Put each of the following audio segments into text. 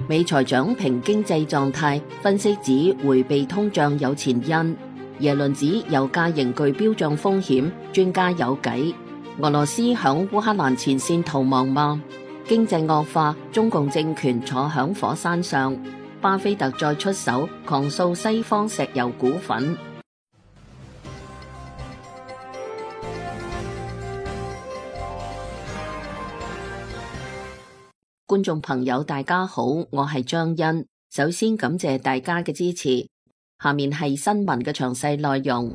美財長評經濟狀態，分析指迴避通脹有前因。耶倫指油價仍具標漲風險，專家有計。俄羅斯響烏克蘭前線逃亡嗎？經濟惡化，中共政權坐響火山上。巴菲特再出手狂掃西方石油股份。觀眾朋友大家好，我係張欣。首先感謝大家嘅支持。下面係新聞嘅詳細內容。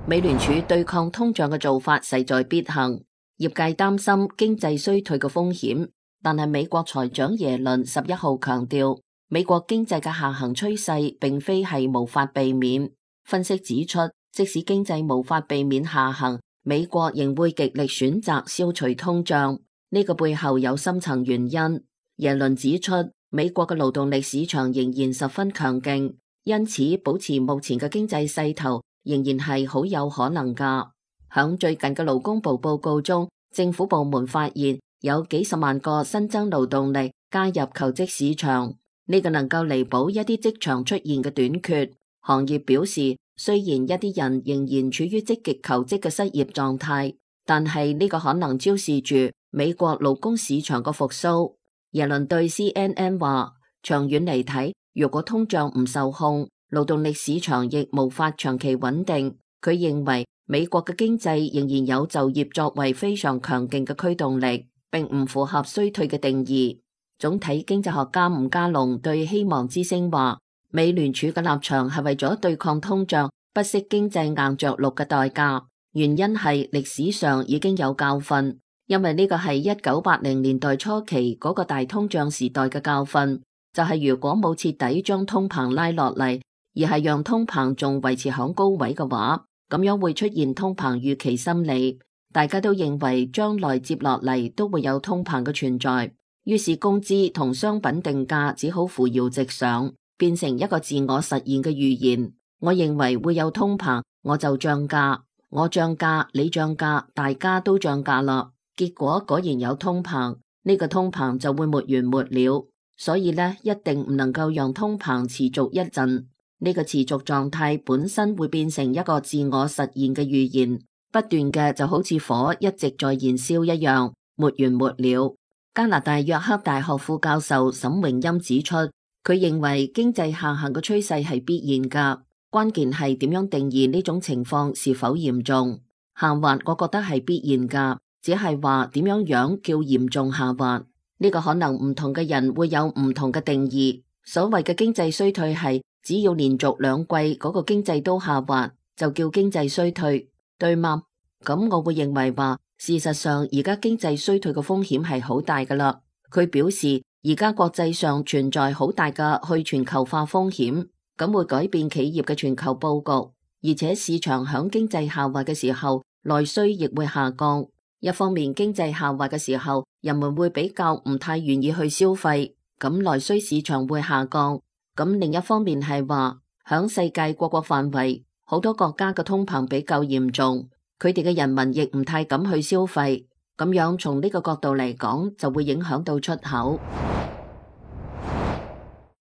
美聯儲對抗通脹嘅做法勢在必行，業界擔心經濟衰退嘅風險，但係美國財長耶倫11號強調，美國經濟嘅下行趨勢並非係無法避免。分析指出，即使經濟無法避免下行，美國仍會極力選擇消除通脹。呢個背後有深層原因。耶倫指出，美國嘅勞動力市場仍然十分強勁，因此保持目前嘅經濟勢頭仍然係好有可能㗎。響最近嘅勞工部報告中，政府部門發現有幾十萬個新增勞動力加入求職市場，呢個能夠彌補一啲職場出現嘅短缺。行業表示，雖然一啲人仍然處於積極求職嘅失業狀態，但係呢個可能昭示住美國勞工市場嘅復甦。耶倫對 CNN 話，長遠嚟睇，如果通脹唔受控，勞動力市場亦無法長期穩定。佢認為美國嘅經濟仍然有就業作為非常強勁嘅驅動力，並唔符合衰退嘅定義。總體經濟學家吳家龍對希望之聲話，美聯儲嘅立場係為咗對抗通脹，不惜經濟硬着陸嘅代價。原因係歷史上已經有教訓。因為呢個係1980年代初期嗰個大通脹時代嘅教訓，就係如果冇徹底將通膨拉落嚟，而係讓通膨仲維持響高位嘅話，咁樣會出現通膨預期心理。大家都認為將來接落嚟都會有通膨嘅存在，於是工資同商品定價只好扶搖直上，變成一個自我實現嘅預言。我認為會有通膨，我就漲價，我漲價，你漲價，大家都漲價啦。結果果然有通膨，呢個通膨就會沒完沒了，所以呢，一定唔能夠讓通膨持續一陣。呢個持續狀態本身會變成一個自我實現嘅預言，不斷嘅就好似火一直在燃燒一樣，沒完沒了。加拿大約克大學副教授沈榮欽指出，佢認為經濟下行嘅趨勢係必然噶，關鍵係點樣定義呢種情況是否嚴重。下滑我覺得係必然噶。只係話點樣叫嚴重下滑，呢個可能唔同嘅人會有唔同嘅定義。所謂嘅經濟衰退係只要連續2季嗰個經濟都下滑，就叫經濟衰退，對嗎？咁我會認為話，事實上而家經濟衰退嘅風險係好大噶啦。佢表示而家國際上存在好大嘅去全球化風險，咁會改變企業嘅全球佈局，而且市場響經濟下滑嘅時候，內需亦會下降。一方面經濟下滑嘅時候，人們會比較唔太願意去消費，咁內需市場會下降。咁另一方面係話，響世界各國範圍，好多國家嘅通膨比較嚴重，佢哋嘅人民亦唔太敢去消費，咁樣從呢個角度嚟講，就會影響到出口。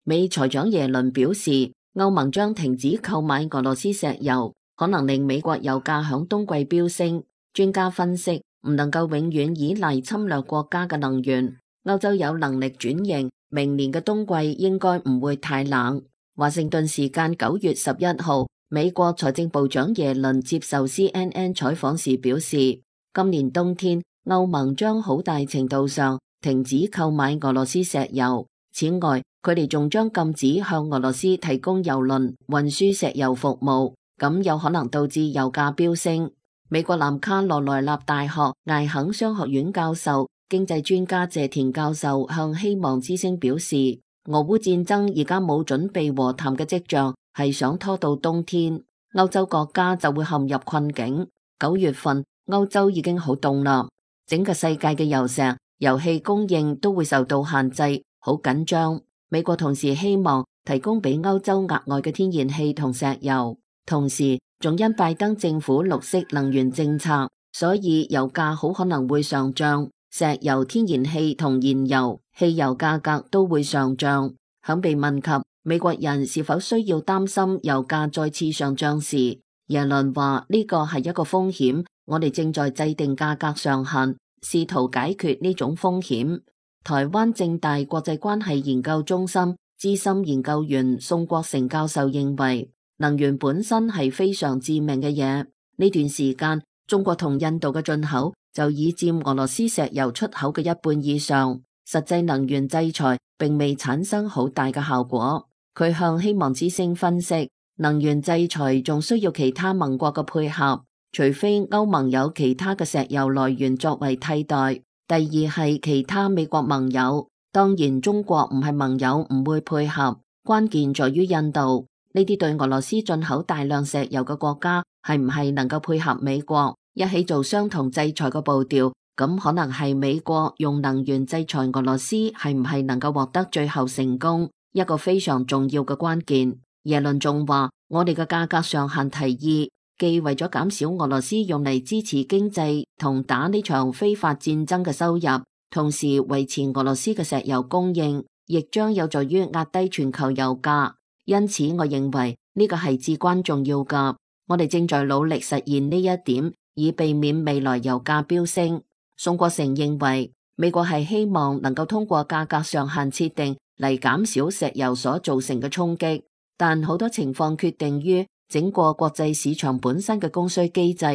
美財長耶倫表示，歐盟將停止購買俄羅斯石油，可能令美國油價響冬季飆升。專家分析，唔能夠永遠依賴侵略國家嘅能源，歐洲有能力轉型，明年嘅冬季應該唔會太冷。華盛頓時間9月11號，美國財政部長耶倫接受 CNN 採訪時表示，今年冬天歐盟將好大程度上停止購買俄羅斯石油。此外，佢哋仲將禁止向俄羅斯提供油輪運輸石油服務，咁有可能導致油價飆升。美國南卡羅來納大學艾肯商學院教授、經濟專家謝田教授向希望之聲表示，俄烏戰爭而家冇準備和談嘅跡象，係想拖到冬天，歐洲國家就會陷入困境。9月份歐洲已經好凍啦，整個世界嘅油石、油氣供應都會受到限制，好緊張。美國同時希望提供俾歐洲額外嘅天然氣同石油，同時仲因拜登政府綠色能源政策，所以油價好可能會上漲。石油、天然氣同燃油、汽油價格都會上漲。響被問及美國人是否需要擔心油價再次上漲時，耶倫話呢個係一個風險，我哋正在制定價格上限，試圖解決呢種風險。台灣政大國際關係研究中心資深研究員宋國成教授認為，能源本身係非常致命嘅嘢。呢段時間，中國同印度嘅進口就已佔俄羅斯石油出口嘅一半以上，實際能源制裁並未產生好大嘅效果。佢向希望之聲分析，能源制裁仲需要其他盟國嘅配合，除非歐盟有其他嘅石油來源作為替代。第二係其他美國盟友，當然中國唔係盟友唔會配合，關鍵在於印度。呢啲對俄羅斯進口大量石油嘅國家係唔係能夠配合美國一起做相同制裁嘅步調？咁可能係美國用能源制裁俄羅斯係唔係能夠獲得最後成功一個非常重要嘅關鍵。耶倫仲話，我哋嘅價格上限提議既為咗減少俄羅斯用嚟支持經濟同打呢場非法戰爭嘅收入，同時維持俄羅斯嘅石油供應，亦將有助於壓低全球油價。因此，我認為呢個係至關重要㗎。我哋正在努力實現呢一點，以避免未來油價飆升。宋國成認為，美國係希望能夠通過價格上限設定嚟減少石油所造成嘅衝擊，但好多情況決定於整個國際市場本身嘅供需機制。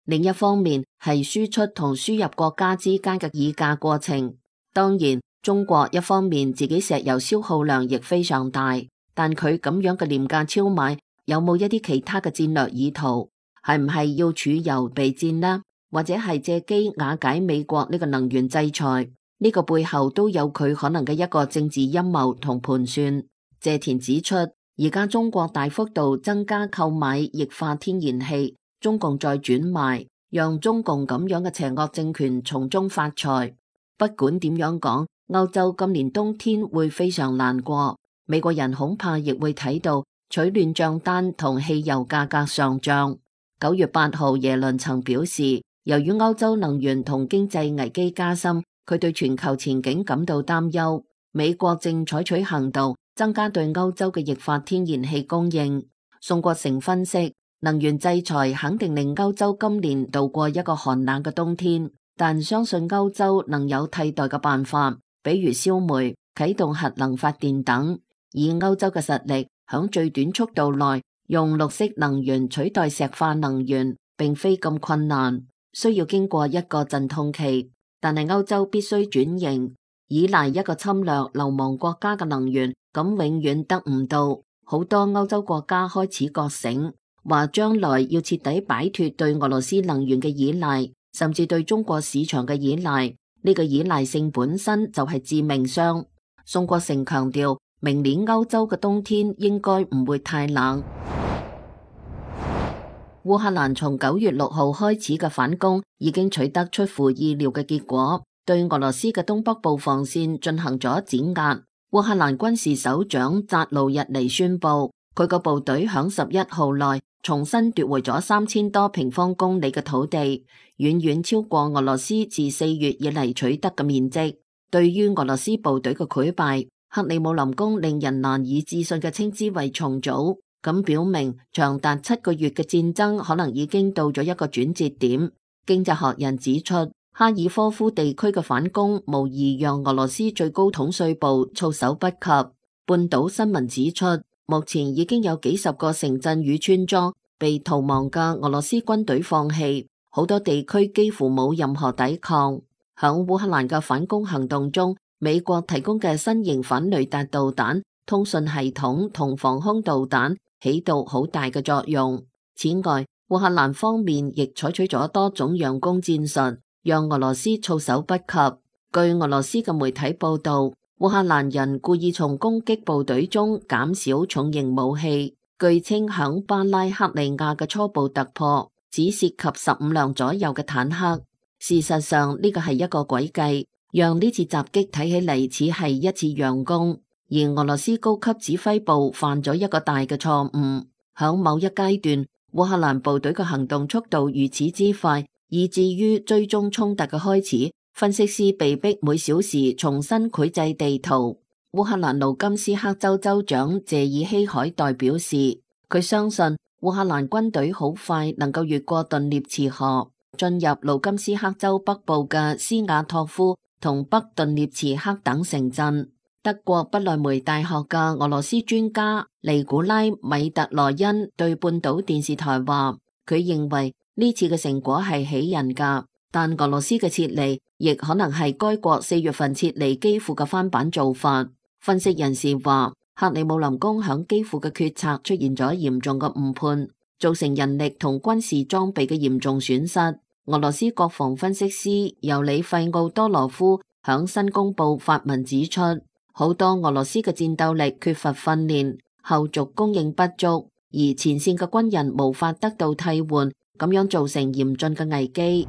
另一方面係輸出同輸入國家之間嘅議價過程。當然，中國一方面自己石油消耗量亦非常大。但佢咁樣嘅廉價超買，有冇一啲其他嘅戰略意圖？係唔係要儲油備戰呢？或者係借機瓦解美國呢個能源制裁？呢個背後都有佢可能嘅一個政治陰謀同盤算。謝田指出，而家中國大幅度增加購買液化天然氣，中共再轉賣，讓中共咁樣嘅邪惡政權從中發財。不管點樣講，歐洲今年冬天會非常難過。美國人恐怕亦會睇到取暖賬單同汽油價格上漲。9月8號，耶倫曾表示，由於歐洲能源同經濟危機加深，佢對全球前景感到擔憂。美國正採取行動，增加對歐洲嘅液化天然氣供應。宋國成分析，能源制裁肯定令歐洲今年度過一個寒冷嘅冬天，但相信歐洲能有替代嘅辦法，比如燒煤、啟動核能發電等。以歐洲嘅實力，響最短速度內用綠色能源取代石化能源，並非咁困難，需要經過一個陣痛期。但係歐洲必須轉型，依賴一個侵略流亡國家嘅能源，咁永遠得唔到。好多歐洲國家開始覺醒，話將來要徹底擺脫對俄羅斯能源嘅依賴，甚至對中國市場嘅依賴。呢個依賴性本身就係致命傷。宋國成強調，明年歐洲嘅冬天應該唔會太冷。烏克蘭從9月6號開始嘅反攻已經取得出乎意料嘅結果，對俄羅斯嘅東北部防線進行咗碾壓。烏克蘭軍事首長扎盧日尼宣布，佢個部隊響11號內重新奪回咗3000多平方公里嘅土地，遠遠超過俄羅斯自4月以嚟取得嘅面積。對於俄羅斯部隊嘅潰敗，克里姆林宮令人難以置信嘅稱之為重組，咁表明長達7個月嘅戰爭可能已經到咗一個轉折點。經濟學人指出，哈爾科夫地區嘅反攻無疑讓俄羅斯最高統帥部措手不及。半島新聞指出，目前已經有幾十個城鎮與村莊被逃亡嘅俄羅斯軍隊放棄，好多地區幾乎冇任何抵抗。響烏克蘭嘅反攻行動中，美國提供嘅新型反雷達導彈、通訊系統同防空導彈起到好大嘅作用。此外，烏克蘭方面亦採取咗多種佯攻戰術，讓俄羅斯措手不及。據俄羅斯嘅媒體報道，烏克蘭人故意從攻擊部隊中減少重型武器，據稱響巴拉克利亞嘅初步突破只涉及15輛左右嘅坦克。事實上，呢個係一個詭計，讓呢次襲擊睇起嚟似係一次佯攻，而俄羅斯高級指揮部犯咗一個大嘅錯誤。響某一階段，烏克蘭部隊嘅行動速度如此之快，以至於追蹤衝突嘅開始分析師被逼每小時重新繪製地圖。烏克蘭盧甘斯克州州長謝爾希海代表示，佢相信烏克蘭軍隊好快能夠越過頓涅茨河，進入盧甘斯克州北部嘅斯瓦托夫同北頓涅茨克等城鎮。德國不來梅大學嘅俄羅斯專家尼古拉米特羅恩對半島電視台話，佢認為呢次嘅成果係喜人㗎，但俄羅斯嘅撤離亦可能係該國4月份撤離基輔嘅翻版做法。分析人士話，克里姆林宮響基輔嘅決策出現咗嚴重嘅誤判，造成人力同軍事裝備嘅嚴重損失。俄羅斯國防分析師尤里費奧多羅夫響新公報發文指出，好多俄羅斯嘅戰鬥力缺乏訓練，後續供應不足，而前線嘅軍人無法得到替換，咁樣造成嚴峻嘅危機。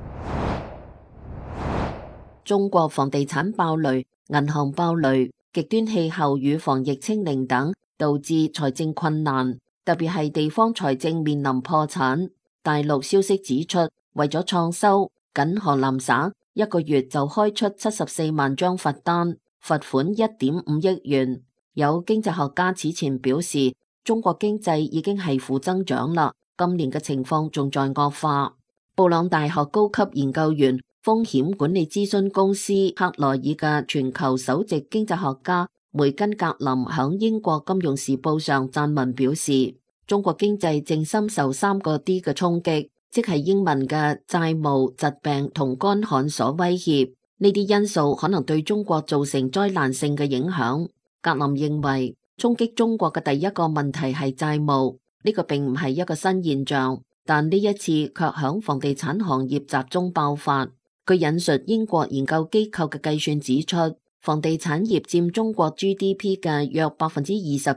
中國房地產爆雷、銀行爆雷、極端氣候與防疫清零等，導致財政困難，特別係地方財政面臨破產。大陸消息指出，為咗創收，僅河南省一個月就開出74萬張罰單，罰款1.5億元。有經濟學家此前表示，中國經濟已經係負增長啦，今年嘅情況仲在惡化。布朗大學高級研究員、風險管理諮詢公司克萊爾嘅全球首席經濟學家梅根格林響英國金融時報上撰文表示，中國經濟正深受3個 D 嘅衝擊，即係英文嘅債務、疾病同乾旱所威脅。呢啲因素可能對中國造成災難性嘅影響。格林認為，衝擊中國嘅第一個問題係債務，呢個並唔係一個新現象，但呢一次卻響房地產行業集中爆發。佢引述英國研究機構嘅計算指出，房地產業佔中國 GDP 嘅約20%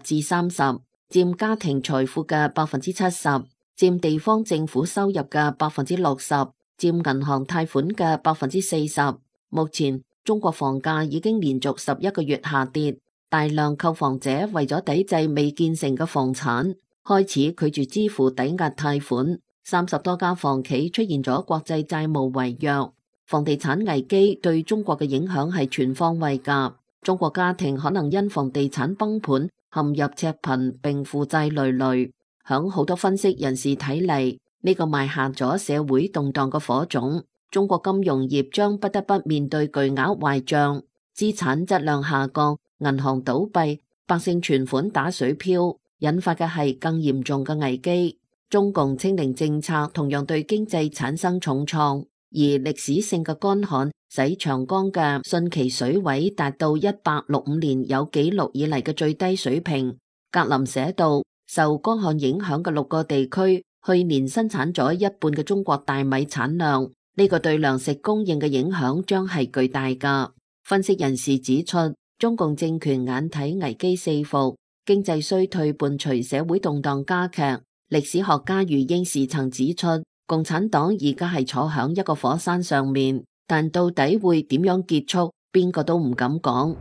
至30%，佔家庭財富嘅70%，佔地方政府收入嘅60%，佔銀行貸款嘅40%。目前中國房價已經連續11個月下跌，大量購房者為咗抵制未建成嘅房產，開始拒絕支付抵押貸款。30多家房企出現咗國際債務違約。房地產危機對中國嘅影響係全方位㗎。中國家庭可能因房地產崩盤陷入赤貧並負債累累。響好多分析人士睇嚟，呢個埋下咗社會動盪嘅火種。中國金融業將不得不面對巨額壞賬、資產質量下降、銀行倒閉、百姓存款打水漂，引發嘅係更嚴重嘅危機。中共清零政策同樣對經濟產生重創。而歷史性嘅乾旱使長江嘅汛期水位達到1865年有紀錄以嚟嘅最低水平。格林寫道，受乾旱影響嘅6個地區去年生產咗一半嘅中國大米產量，呢個對糧食供應嘅影響將係巨大㗎。分析人士指出，中共政權眼睇危機四伏，經濟衰退伴隨社會動盪加劇。歷史學家余英時曾指出，共產黨而家係坐響一個火山上面，但到底會點樣結束，邊個都唔敢講。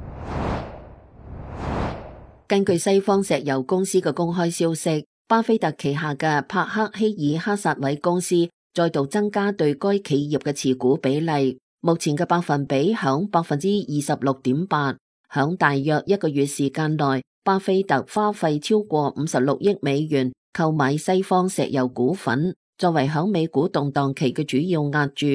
根據西方石油公司嘅公開消息，巴菲特旗下嘅帕克希爾克薩韋公司再度增加對該企業嘅持股比例，目前嘅百分比響26.8%。響大約一個月時間內，巴菲特花費超過56億美元購買西方石油股份，作為響美股動盪期嘅主要押注。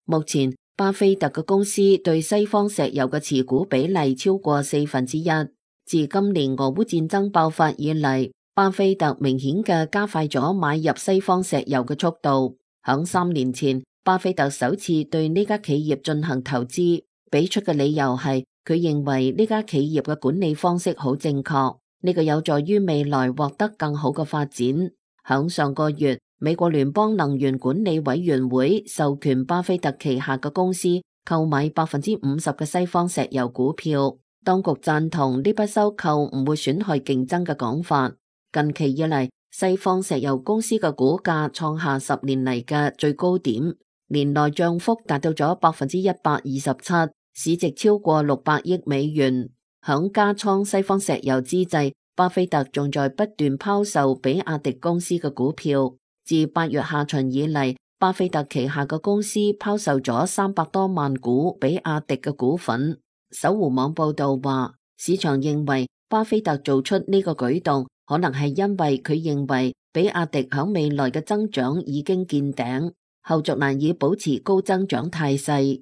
目前巴菲特嘅公司對西方石油嘅持股比例超過1/4。自今年俄烏戰爭爆發以嚟，巴菲特明顯嘅加快咗買入西方石油嘅速度。響3年前，巴菲特首次對呢家企業進行投資，俾出嘅理由係佢認為呢家企業嘅管理方式好正確，呢個有助於未來獲得更好嘅發展。響上個月，美國聯邦能源管理委員會授權巴菲特旗下嘅公司購買50%嘅西方石油股票，當局贊同呢筆收購唔會損害競爭嘅講法。近期以嚟，西方石油公司嘅股價創下10年嚟嘅最高點，年內漲幅達到咗127%，市值超過600億美元。響加倉西方石油之際，巴菲特仲在不斷拋售比亞迪公司嘅股票。自8月下旬以嚟，巴菲特旗下嘅公司拋售咗300多萬股比亞迪嘅股份。搜狐網報道話，市場認為巴菲特做出呢個舉動，可能係因為佢認為比亞迪響未來嘅增長已經見頂，後續難以保持高增長態勢。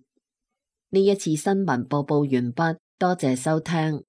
呢一次新聞播報完畢，多謝收聽。